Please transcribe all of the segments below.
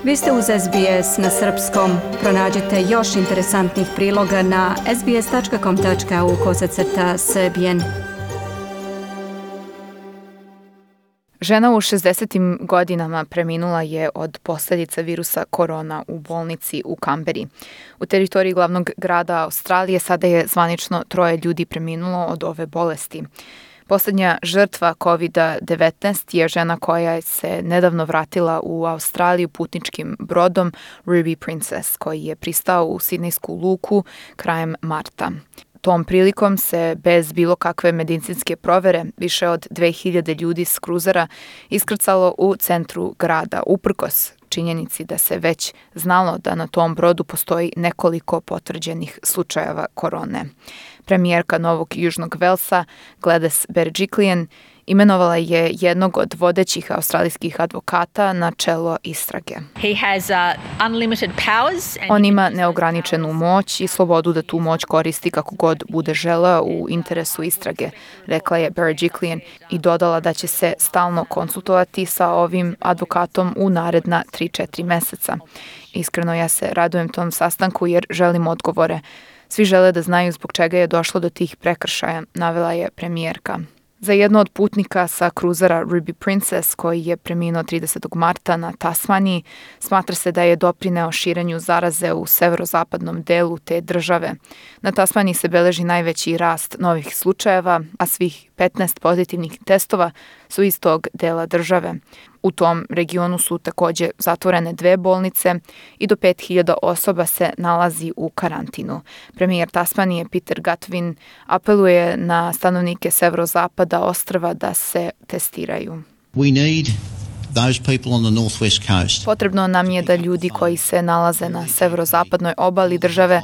Vi ste uz SBS na srpskom. Pronađite još interesantnih priloga na sbs.com.au/srbijen. Žena u 60. godinama preminula je od posljedica virusa korona u bolnici u Kamberi. U teritoriji glavnog grada Australije sada je zvanično 3 ljudi preminulo od ove bolesti. Posljednja žrtva COVID-19 je žena koja se nedavno vratila u Australiju putničkim brodom Ruby Princess, koji je pristao u Sidnejsku luku krajem marta. Tom prilikom se bez bilo kakve medicinske provere više od 2000 ljudi s kruzera iskrcalo u centru grada, uprkos činjenici da se već znalo da na tom brodu postoji nekoliko potvrđenih slučajeva korone. Premijerka Novog Južnog Velsa, Gladys Berejiklian, imenovala je jednog od vodećih australijskih advokata na čelo istrage. On ima neograničenu moć i slobodu da tu moć koristi kako god bude želeo u interesu istrage, rekla je Berejiklian i dodala da će se stalno konsultovati sa ovim advokatom u naredna 3-4 meseca. Iskreno ja se radujem tom sastanku jer želim odgovore. Svi žele da znaju zbog čega je došlo do tih prekršaja, navela je premijerka. Za jedno od putnika sa kruzera Ruby Princess, koji je preminuo 30. marta na Tasmaniji, smatra se da je doprineo širenju zaraze u severozapadnom delu te države. Na Tasmaniji se beleži najveći rast novih slučajeva, a svih 15 pozitivnih testova su iz tog dela države. U tom regionu su također zatvorene 2 bolnice i do 5000 osoba se nalazi u karantinu. Premijer Tasmanije Peter Gutwein apeluje na stanovnike severozapada ostrva da se testiraju. Potrebno nam je da ljudi koji se nalaze na severozapadnoj obali države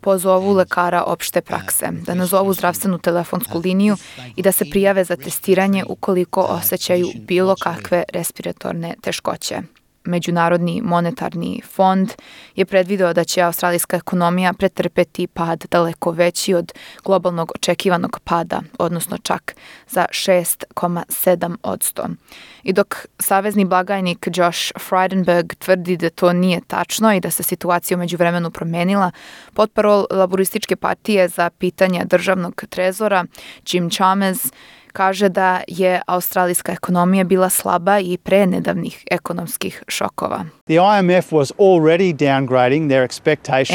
pozovu lekara opšte prakse, da nazovu zdravstvenu telefonsku liniju i da se prijave za testiranje ukoliko osjećaju bilo kakve respiratorne teškoće. Međunarodni monetarni fond je predvideo da će australijska ekonomija pretrpeti pad daleko veći od globalnog očekivanog pada, odnosno čak za 6,7%. I dok savezni blagajnik Josh Frydenberg tvrdi da to nije tačno i da se situacija u međuvremenu promenila, potparol Laborističke partije za pitanja državnog trezora Jim Chalmers kaže da je australijska ekonomija bila slaba i pre nedavnih ekonomskih šokova.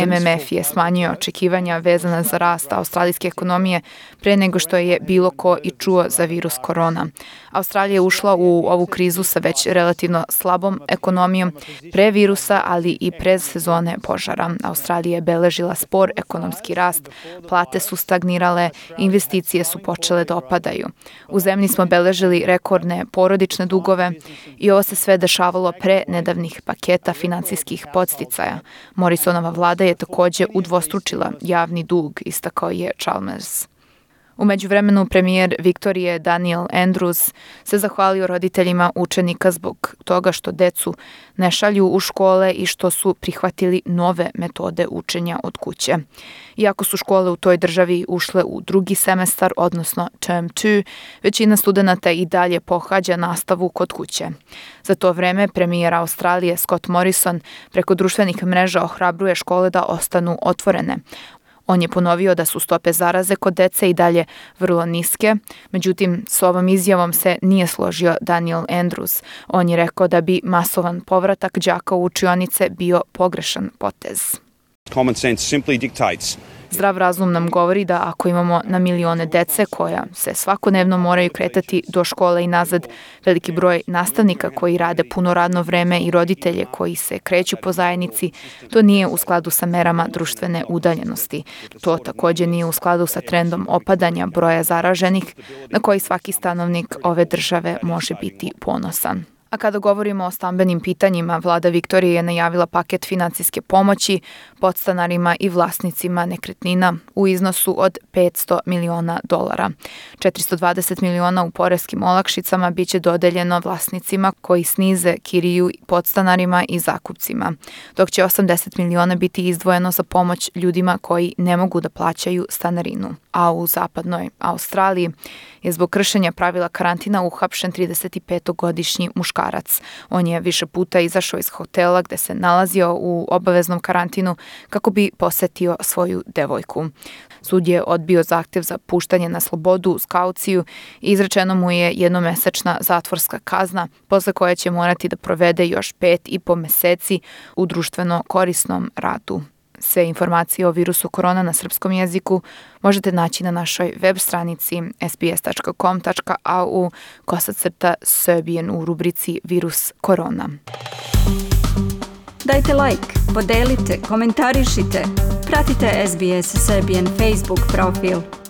MMF je smanjio očekivanja vezana za rast australijske ekonomije pre nego što je bilo ko i čuo za virus korona. Australija je ušla u ovu krizu sa već relativno slabom ekonomijom pre virusa, ali i pre sezone požara. Australija je beležila spor ekonomski rast, plate su stagnirale, investicije su počele da opadaju. U zemlji smo beležili rekordne porodične dugove i ovo se sve dešavalo pre nedavnih paketa finansijskih podsticaja. Morrisonova vlada je također udvostručila javni dug, istakao je Chalmers. U međuvremenu premijer Viktorije Daniel Andrews se zahvalio roditeljima učenika zbog toga što decu ne šalju u škole i što su prihvatili nove metode učenja od kuće. Iako su škole u toj državi ušle u 2. semestar, odnosno term 2, većina studenata i dalje pohađa nastavu kod kuće. Za to vreme premijer Australije Scott Morrison preko društvenih mreža ohrabruje škole da ostanu otvorene. On je ponovio da su stope zaraze kod dece i dalje vrlo niske, međutim s ovom izjavom se nije složio Daniel Andrews. On je rekao da bi masovan povratak đaka u učionice bio pogrešan potez. Common sense simply dictates. Zdrav razum nam govori da ako imamo na milione dece koja se svakodnevno moraju kretati do škole i nazad, veliki broj nastavnika koji rade puno radno vreme i roditelje koji se kreću po zajednici, to nije u skladu sa merama društvene udaljenosti. To također nije u skladu sa trendom opadanja broja zaraženih na koji svaki stanovnik ove države može biti ponosan. A kada govorimo o stambenim pitanjima, vlada Viktorije je najavila paket financijske pomoći podstanarima i vlasnicima nekretnina u iznosu od $500 miliona. 420 miliona u poreskim olakšicama biće dodeljeno vlasnicima koji snize kiriju podstanarima i zakupcima, dok će 80 miliona biti izdvojeno za pomoć ljudima koji ne mogu da plaćaju stanarinu. A u zapadnoj Australiji je zbog kršenja pravila karantina uhapšen 35-godišnji muškarac. On je više puta izašao iz hotela gde se nalazio u obaveznom karantinu kako bi posetio svoju devojku. Sud je odbio zahtev za puštanje na slobodu uz kauciju i izrečeno mu je jednomesečna zatvorska kazna, posle koje će morati da provede još 5,5 meseci u društveno korisnom radu. Sve informacije o virusu korona na srpskom jeziku možete naći na našoj web stranici sbs.com.au/Serbian u rubrici Virus korona. Dajte like, podelite, komentarišite. Pratite SBS Serbian Facebook profil.